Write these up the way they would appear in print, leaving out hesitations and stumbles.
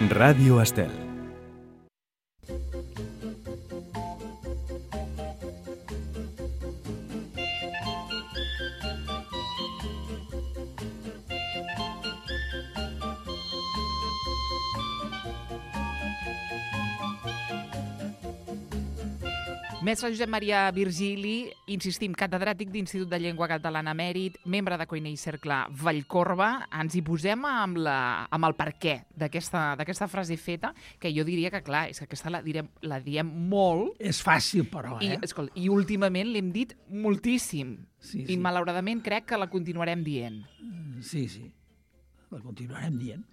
Ràdio Estel. Mestre Josep Maria Virgili, insistim, catedràtic d'Institut de Llengua Catalana Mèrit, membre de Coiner i Cercle Vallcorba. Ens hi posem amb el per què d'aquesta frase feta, que jo diria que, clar, és que aquesta la diem molt. És fàcil, però, I últimament l'hem dit moltíssim. Sí. I malauradament crec que la continuarem dient. Sí. La continuarem dient.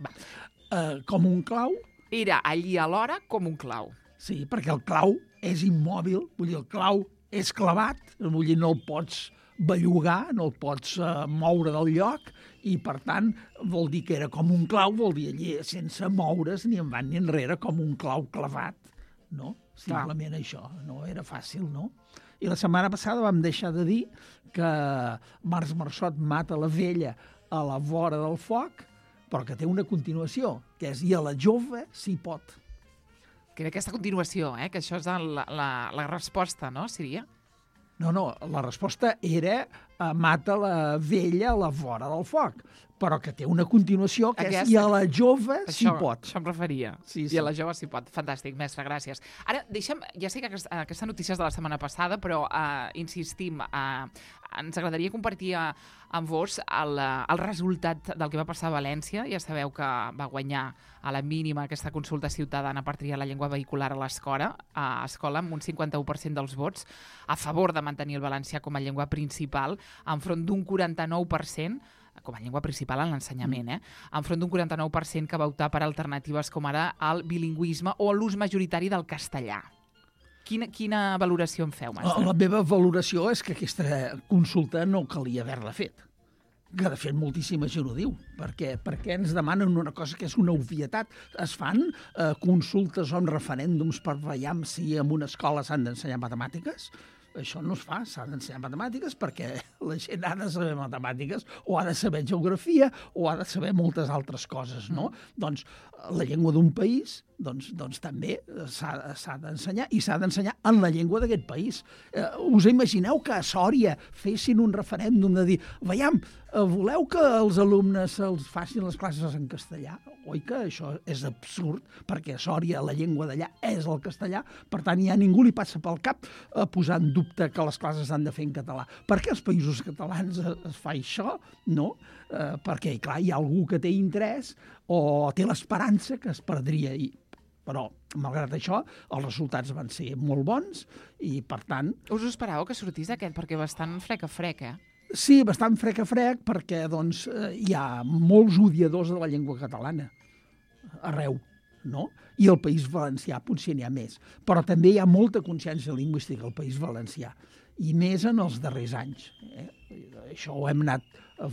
Com un clau. Era allí alhora com un clau. Sí, perquè el clau és immòbil, vull dir, el clau és clavat, vull dir, no el pots bellugar, no el pots moure del lloc, i per tant vol dir que era com un clau, vol dir allí sense moure's ni endavant ni enrere, com un clau clavat, no? Simplement això, no era fàcil, no? I la setmana passada vam deixar de dir que Març Marçot mata la vella a la vora del foc, però que té una continuació, que és i a la jove s'hi pot. Que era aquesta continuació, que això és la resposta, no, seria? No, la resposta era mata la vella a la vora del foc, però que té una continuació que és i a la jove s'hi pot. Això em referia. Sí. I a la jove s'hi pot. Fantàstic, mestre, gràcies. Ara, deixa'm, ja sé que aquesta notícia és de la setmana passada, però insistim, ens agradaria compartir amb vos el resultat del que va passar a València. Ja sabeu que va guanyar a la mínima aquesta consulta ciutadana per triar la llengua vehicular a l'escola, amb un 51% dels vots, a favor de mantenir el valencià com a llengua principal, enfront d'un 49%, com a llengua principal en l'ensenyament, enfront d'un 49% que va optar per alternatives com ara el bilingüisme o l'ús majoritari del castellà. Quina valoració en feu, mestre? La meva valoració és que aquesta consulta no calia haver-la fet. Que, de fet, moltíssima gent ho diu. Perquè ens demanen una cosa que és una obvietat. Es fan consultes o referèndums per veure si en una escola s'han d'ensenyar matemàtiques? Això no es fa, s'ha d'ensenyar matemàtiques perquè la gent ha de saber matemàtiques o ha de saber geografia o ha de saber moltes altres coses, no? Doncs la llengua d'un país també s'ha d'ensenyar i s'ha d'ensenyar en la llengua d'aquest país. Us imagineu que a Sòria fessin un referèndum de dir, veiam, voleu que els alumnes se'ls facin les classes en castellà? Oi que això és absurd, perquè a Sòria la llengua d'allà és el castellà, per tant ja ningú li passa pel cap posar en dubte que les classes s'han de fer en català. Per què als països catalans es fa això? No, perquè, clar, hi ha algú que té interès o té l'esperança que es perdria ahir. Però, malgrat això, els resultats van ser molt bons i, per tant... Us ho esperàveu que sortís aquest? Perquè bastant frec a frec, Sí, bastant frec a frec, perquè doncs, hi ha molts odiadors de la llengua catalana arreu, no? I al País Valencià potser n'hi ha més. Però també hi ha molta consciència lingüística al País Valencià, i més en els darrers anys. Això ho hem anat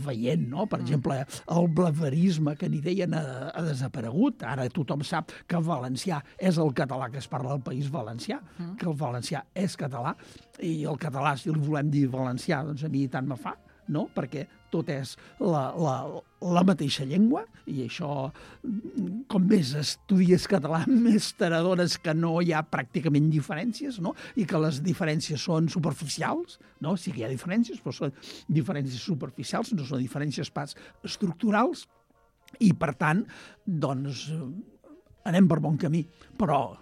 veient, no? Per exemple, el blaverisme, que ni deien ha desaparegut. Ara tothom sap que el valencià és el català que es parla al País Valencià, que el valencià és català, i el català, si el volem dir valencià, doncs a mi tant me fa, no? Perquè tot és la mateixa llengua, i això, com més estudies català, més t'adones que no hi ha pràcticament diferències, no? I que les diferències són superficials, no? Sí que hi ha diferències, però són diferències superficials, no són diferències pas estructurals, i per tant, doncs, anem per bon camí, però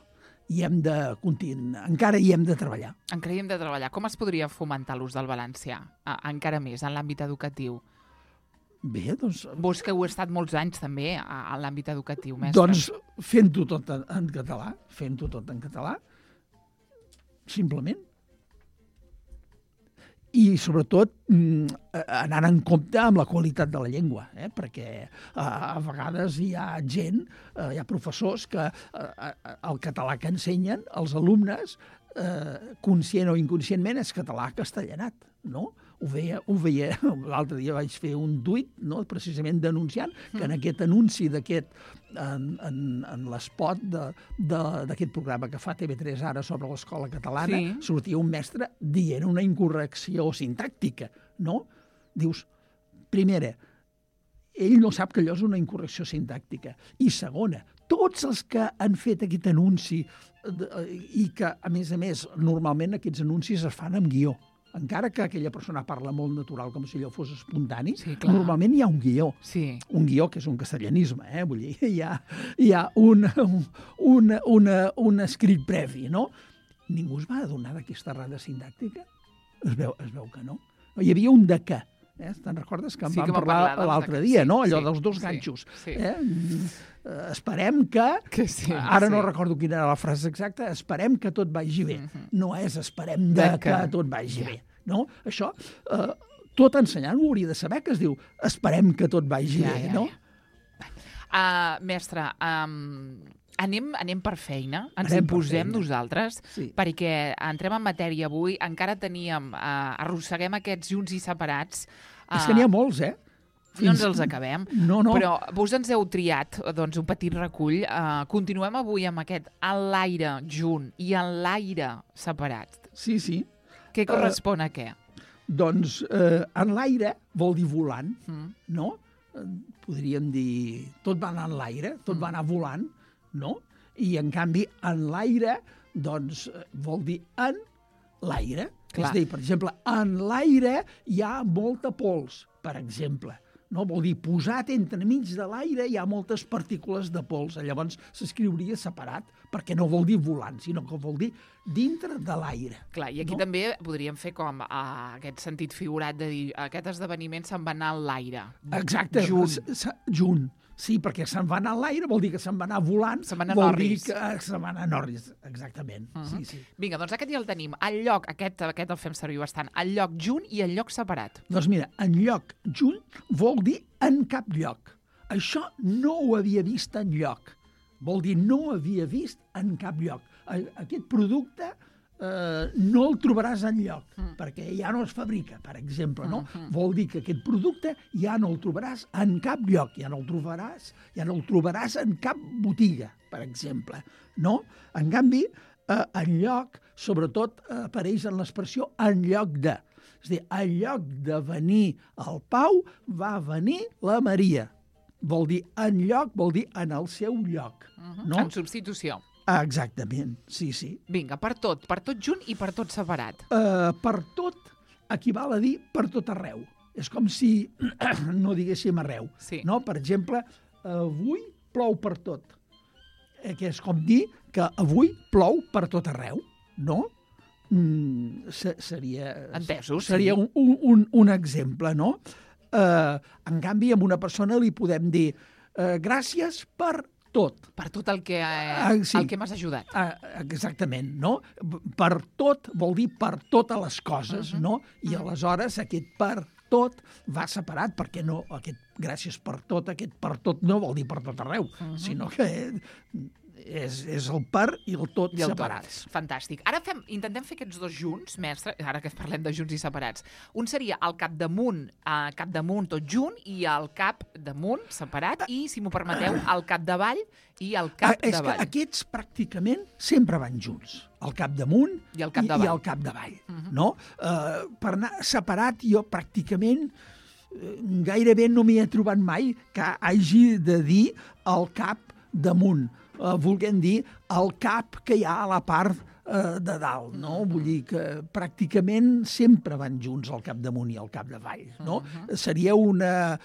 encara hi hem de treballar. Encara hi hem de treballar. Com es podria fomentar l'ús del valencià? Encara més, en l'àmbit educatiu? Bé, doncs... Vos que heu estat molts anys també a l'àmbit educatiu, mestre. Doncs fent-ho tot en català, simplement. I, sobretot, anant en compte amb la qualitat de la llengua, perquè a vegades hi ha gent, hi ha professors que el català que ensenyen als alumnes, conscient o inconscientment, és català castellanat, no? Ho veia, l'altre dia vaig fer un tuit, no? Precisament denunciant que en aquest anunci en l'espot d'aquest programa que fa TV3 ara sobre l'escola catalana, sortia un mestre dient una incorrecció sintàctica, no? Dius, primera, ell no sap que allò és una incorrecció sintàctica, i segona, tots els que han fet aquest anunci i que, a més, normalment aquests anuncis es fan amb guió. Encara que aquella persona parla molt natural, com si allò fos espontani, sí, normalment hi ha un guió. Sí. Un guió que és un castellanisme, vull dir, hi ha un escrit previ, no? Ningú es va adonar d'aquesta errada sintàctica? Es veu que no. Hi havia un de què. Te'n recordes que en vam parlar l'altre dia, no? Allò dels dos ganxos. Esperem que... Ara no recordo quina era la frase exacta. Esperem que tot vagi bé. No és esperem que tot vagi bé. No? Això, tot ensenyant ho hauria de saber, que es diu esperem que tot vagi bé, no? Mestre, anem per feina, ens hi posem nosaltres, perquè entrem en matèria avui, encara arrosseguem aquests junts i separats. És que n'hi ha molts, No ens els acabem, però vos ens heu triat un petit recull. Continuem avui amb aquest enlaire junt i enlaire separat. Sí. Què correspon a què? Doncs enlaire vol dir volant, no? Podríem dir tot va anar en l'aire, tot va anar volant, no? I, en canvi, enlaire, doncs, vol dir en l'aire. És a dir, per exemple, en l'aire hi ha molta pols, per exemple. No? Vol dir, posat entremig de l'aire hi ha moltes partícules de pols. Llavors s'escriuria separat, perquè no vol dir volant, sinó que vol dir dintre de l'aire. Clar, i aquí també podríem fer com aquest sentit figurat de dir aquest esdeveniment se'n va anar a l'aire. Exacte, junt. Sí, perquè se'n va anar a l'aire vol dir que se'n va anar volant, vol dir que se'n va anar a Norris, exactament. Sí. Vinga, doncs aquest ja el tenim. El lloc, aquest el fem servir bastant, el lloc junt i el lloc separat. Doncs mira, en lloc junt vol dir en cap lloc. Això no ho havia vist en lloc. Vol dir no havia vist en cap lloc. Aquest producte no el trobaràs enlloc, perquè ja no es fabrica, per exemple, no? Vol dir que aquest producte ja no el trobaràs en cap lloc, ja no el trobaràs en cap botiga, per exemple, no? En canvi, enlloc, sobretot, apareix en l'expressió en lloc de. És a dir, en lloc de venir el Pau, va venir la Maria. Vol dir en lloc, vol dir en el seu lloc. En substitució. Exactament, sí. Vinga, per tot junt i per tot separat. Per tot equival a dir per tot arreu. És com si no diguéssim arreu. No? Per exemple, avui plou per tot. Que és com dir que avui plou per tot arreu, no? Seria un exemple, no? En canvi, a una persona li podem dir gràcies per tot. Per tot el que m'has ajudat. Exactament, no? Per tot vol dir per totes les coses, no? I aleshores aquest per tot va separat, perquè no, aquest gràcies per tot, aquest per tot no vol dir per tot arreu, sinó que és el per i el tot separats. Fantàstic. Ara intentem fer aquests dos junts, mestre, ara que parlem de junts i separats. Un seria el capdamunt tot junt i el capdamunt separat i, si m'ho permeteu, el capdavall i el capdavall. És que aquests pràcticament sempre van junts. El capdamunt i el capdavall. No? Per anar separat jo pràcticament gairebé no m'hi he trobat mai que hagi de dir el cap damunt. Volguem dir el cap que hi ha a la part de dalt, no? Vull dir que pràcticament sempre van junts el capdamunt i el capdavall, no? Seria una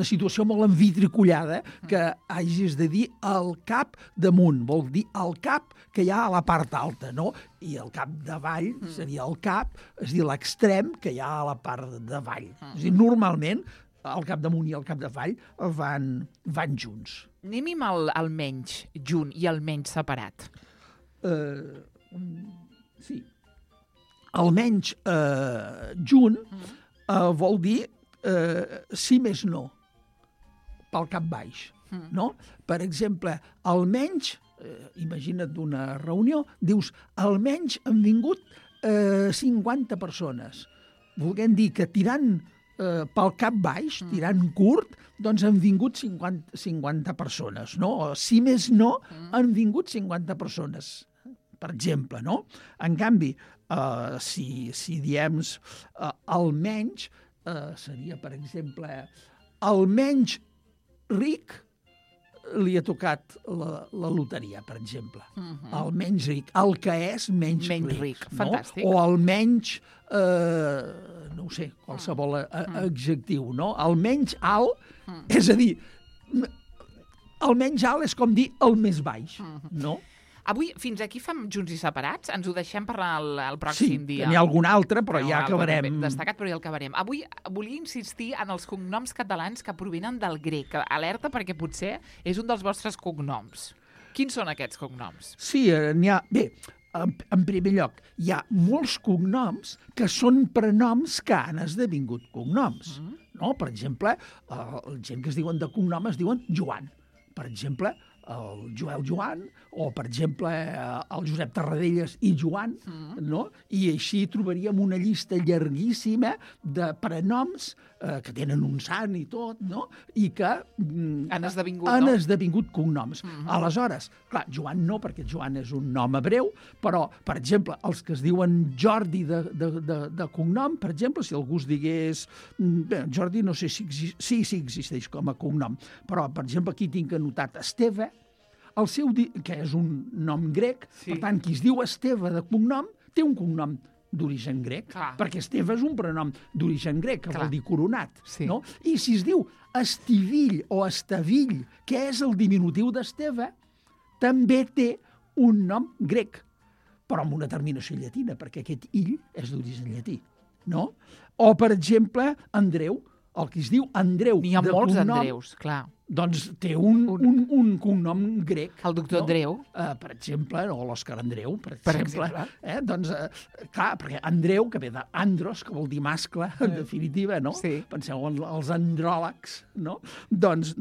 situació molt envitricollada que hagis de dir el cap damunt, vol dir el cap que hi ha a la part alta, no? I el cap davall seria el cap, és a dir, l'extrem que hi ha a la part davall. És a dir, normalment el capdamunt i el capdavall van junts. Anem amb el menys junt i el menys separat. Sí. El menys junt vol dir sí més no, pel cap baix. No? Per exemple, almenys, imagina't una reunió, dius, almenys han vingut 50 persones. Volguem dir que tirant pel cap baix, tirant curt, doncs han vingut 50 persones, no? O, si més no, han vingut 50 persones, per exemple, no? En canvi, si diem almenys, seria, per exemple, almenys ric li ha tocat la loteria, per exemple. El menys ric, el que és menys ric. Fantàstic. No? O el menys, no ho sé, qualsevol adjectiu, no? El menys alt, és a dir, el menys alt és com dir el més baix, no? Avui, fins aquí fem Junts i Separats? Ens ho deixem per el pròxim dia? Sí, n'hi ha algun altre, però ja acabarem. Destacat, però ja el acabarem. Avui volia insistir en els cognoms catalans que provenen del grec. Alerta, perquè potser és un dels vostres cognoms. Quins són aquests cognoms? Sí, n'hi ha... Bé, en primer lloc, hi ha molts cognoms que són prenoms que han esdevingut cognoms. No? Per exemple, gent que es diuen de cognom es diuen Joan. Per exemple, el Joel Joan, o, per exemple, el Josep Tarradellas i Joan, no? I així trobaríem una llista llarguíssima de prenoms que tenen un sant i tot, no? I que han esdevingut cognoms. Aleshores, clar, Joan no, perquè Joan és un nom hebreu, però, per exemple, els que es diuen Jordi de cognom, per exemple, si algú es digués... Bé, Jordi no sé si existeix com a cognom, però, per exemple, aquí tinc anotat Esteve, que és un nom grec, per tant, qui es diu Esteve de cognom, té un cognom d'origen grec, perquè Esteve és un prenom d'origen grec, que vol dir coronat. No? I si es diu Estivill o Estavill, que és el diminutiu d'Esteve, també té un nom grec, però amb una terminació llatina, perquè aquest ill és d'origen llatí. No? O, per exemple, Andreu, el que es diu Andreu. N'hi ha molts Andreus, clar. Doncs té un cognom grec. El doctor Andreu. Per exemple, o l'Òscar Andreu, per exemple. Doncs, clar, perquè Andreu, que ve d'andros, que vol dir mascle, en definitiva, no? Penseu en els andròlegs, no? Doncs,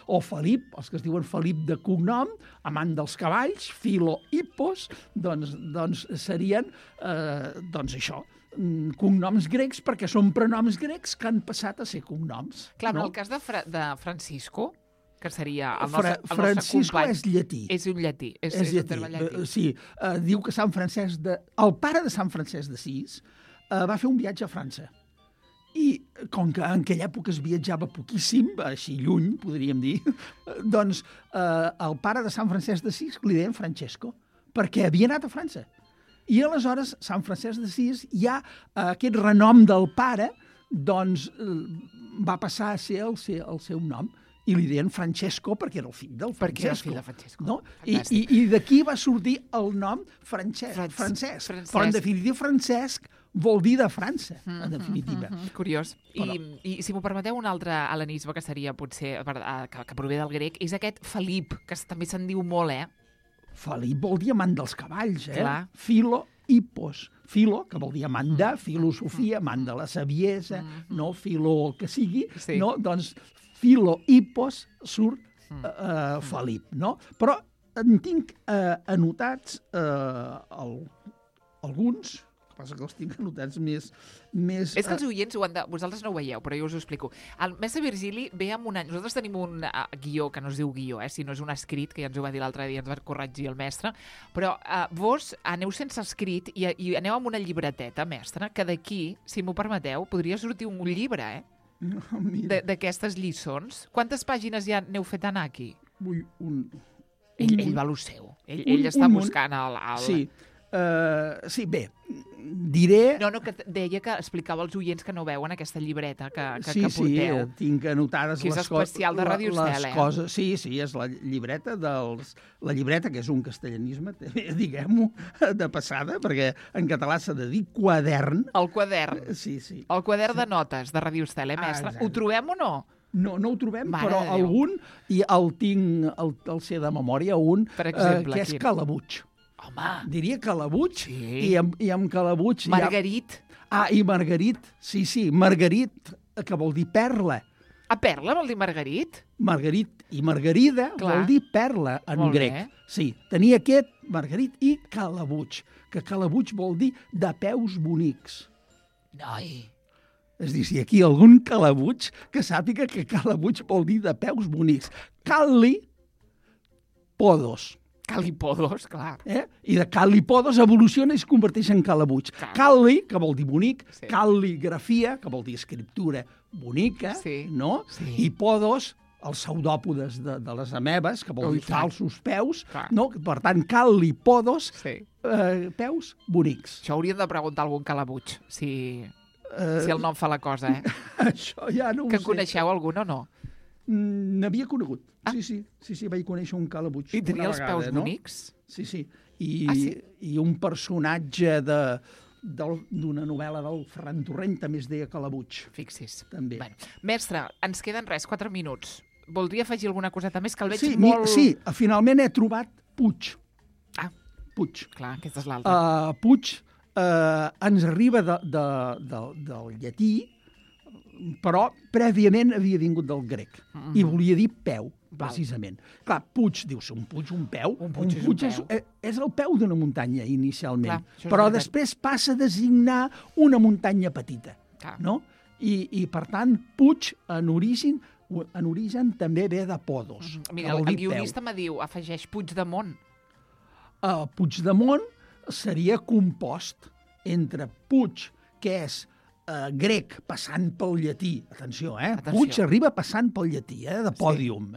o Felip, els que es diuen Felip de cognom, amant dels cavalls, Filo Hippos, doncs serien, doncs això, cognoms grecs, perquè són prenoms grecs que han passat a ser cognoms. Clar, no? En el cas de Francisco, que seria el nostre Francisco company... és llatí. És un llatí. És llatí. Sí, diu que el pare de Sant Francesc d'Assís va fer un viatge a França. I com que en aquella època es viatjava poquíssim, així lluny, podríem dir, doncs el pare de Sant Francesc d'Assís li deien Francesco, perquè havia anat a França. I aleshores, Sant Francesc d'Assís, ja aquest renom del pare, doncs, va passar a ser el seu nom. I li deien Francesco perquè era el fill del Francesco. Perquè era el fill de Francesco. No? I d'aquí va sortir el nom Francesc. Però, en definitiva, Francesc vol dir de França, en definitiva. Curiós. I si m'ho permeteu, un altre hel·lenisme que seria, potser, que prové del grec, és aquest Felip, que també se'n diu molt, Felip vol dir amant dels cavalls, Clar. Filo Hippos. Filo, que vol dir amant de, filosofia, amant de la saviesa, no? Filo el que sigui, no? Doncs Filo Hippos surt Felip, no? Però en tinc anotats alguns, el que passa que els tinc anotats més... És que els oients, vosaltres no ho veieu, però jo us ho explico. El mestre Virgili ve amb un any... Nosaltres tenim un guió, que no es diu guió, si no és un escrit, que ja ens ho va dir l'altre dia, ens va corregir el mestre, però vos aneu sense escrit i aneu amb una llibreteta, mestre, que d'aquí, si m'ho permeteu, podria sortir un llibre, d'aquestes lliçons. Quantes pàgines ja n'heu fet anar aquí? Ell va a lo seu. Ell està buscant el... Sí, bé, diré... No, que deia que explicava als oients que no veuen aquesta llibreta que porteu. Sí, tinc anotades que és especial de Ràdio Estel, Sí, és la llibreta la llibreta, que és un castellanisme, diguem-ho, de passada, perquè en català s'ha de dir quadern. El quadern. Sí. El quadern de notes de Ràdio Estel, mestre? Ho trobem o no? No ho trobem, però algun, i el tinc, el sé de memòria, per exemple, que és Calabuig. Home! Diria Calabuig, i amb Calabuig... Margarit. I Margarit, sí, Margarit, que vol dir perla. Perla vol dir Margarit? Margarit i Margarida vol dir perla en grec. Sí, tenia aquest Margarit i Calabuig, que Calabuig vol dir de peus bonics. Noi! És a dir, si aquí hi ha algun Calabuig, que sàpiga que Calabuig vol dir de peus bonics. Calipodos. Calipodos, clar. I de Calipodos evoluciona i es converteix en Calabuig. Cali, que vol dir bonic, cal·ligrafia, que vol dir escriptura bonica, no? I podos, els pseudòpodes de les amebes, que vol dir falsos peus, Clar. no? Per tant, cal-li podos, Sí. peus bonics. Això hauríem de preguntar a algun calabuig, si el nom fa la cosa, eh? Això ja no ho Que sé. coneixeu algun o no? N'havia conegut. Sí, vaig conèixer un calabuig. I tenia una els vegada, peus no? bonics? Sí. Sí? I un personatge d'una novel·la del Ferran Torrent també es deia Calabuig. Fixis. També. Bueno, mestre, ens queden 4 minuts. Voldria afegir alguna coseta més, que el veig Sí, molt... finalment he trobat Puig. Ah, Puig. clar, aquesta és l'altra. Puig ens arriba del llatí, però prèviament havia vingut del grec i volia dir peu, precisament. Clar, Puig, dius, un puig, un peu. Un puig és un peu. És el peu d'una muntanya, inicialment. Clar, això és però veritat. després passa a designar una muntanya petita. Clar. No? I, per tant, Puig, en origen també ve de podos. Mira, que vol el dir guionista me diu, afegeix Puigdemont. Puigdemont seria compost entre Puig, que és grec, passant pel llatí. Atenció, Atenció. Puig arriba passant pel llatí, de pòdium.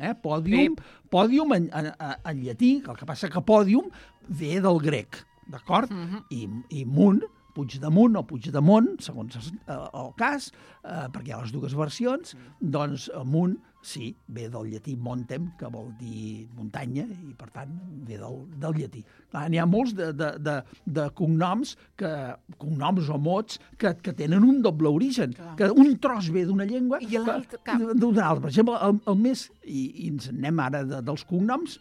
Pòdium en llatí, el que passa que pòdium ve del grec, d'acord? I munt, Puigdamunt o Puigdemont, segons el cas, perquè hi ha les dues versions, doncs munt, sí, ve del llatí montem, que vol dir muntanya, i per tant ve del llatí. N'hi ha molts de cognoms, cognoms o mots, que tenen un doble origen, que un tros ve d'una llengua I l'altre, d'una altra. Per exemple, el més, i ens anem ara dels cognoms,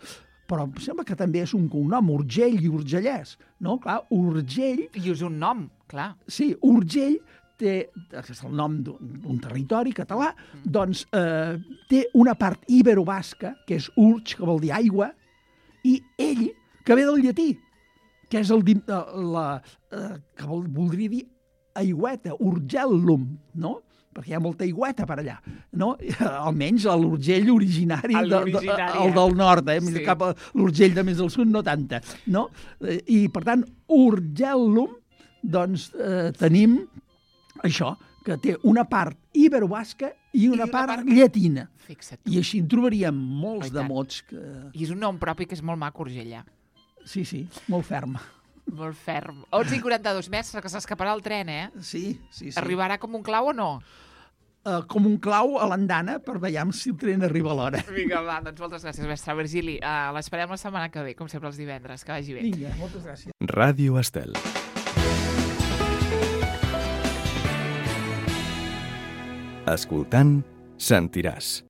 però em sembla que també és un cognom, Urgell i Urgellès, no? Clar, Urgell... I és un nom, clar. Sí, Urgell és el nom d'un territori català, doncs té una part ibero-basca, que és urg, que vol dir aigua, i ell, que ve del llatí, que és que voldria dir aigüeta, urgellum, no? Perquè hi ha molta aigüeta per allà, no? Almenys l'Urgell originari, el del nord, Sí. Cap a l'Urgell de més del sud no tanta, no? I, per tant, Urgellum, doncs tenim això, que té una part ibero-basca i una part llatina. Fixa't. I així en trobaríem molts de mots que... I és un nom propi que és molt maco, Urgella. Sí, molt ferm. Molt ferm. 11:42, mestre, que s'escaparà el tren, eh? Sí. Arribarà com un clau o no? Com un clau a l'andana per veure si el tren arriba a l'hora. Vinga, va, doncs moltes gràcies, mestre Virgili. L'esperem la setmana que ve, com sempre els divendres. Que vagi bé. Vinga, moltes gràcies. Ràdio Estel. Escoltant, sentiràs.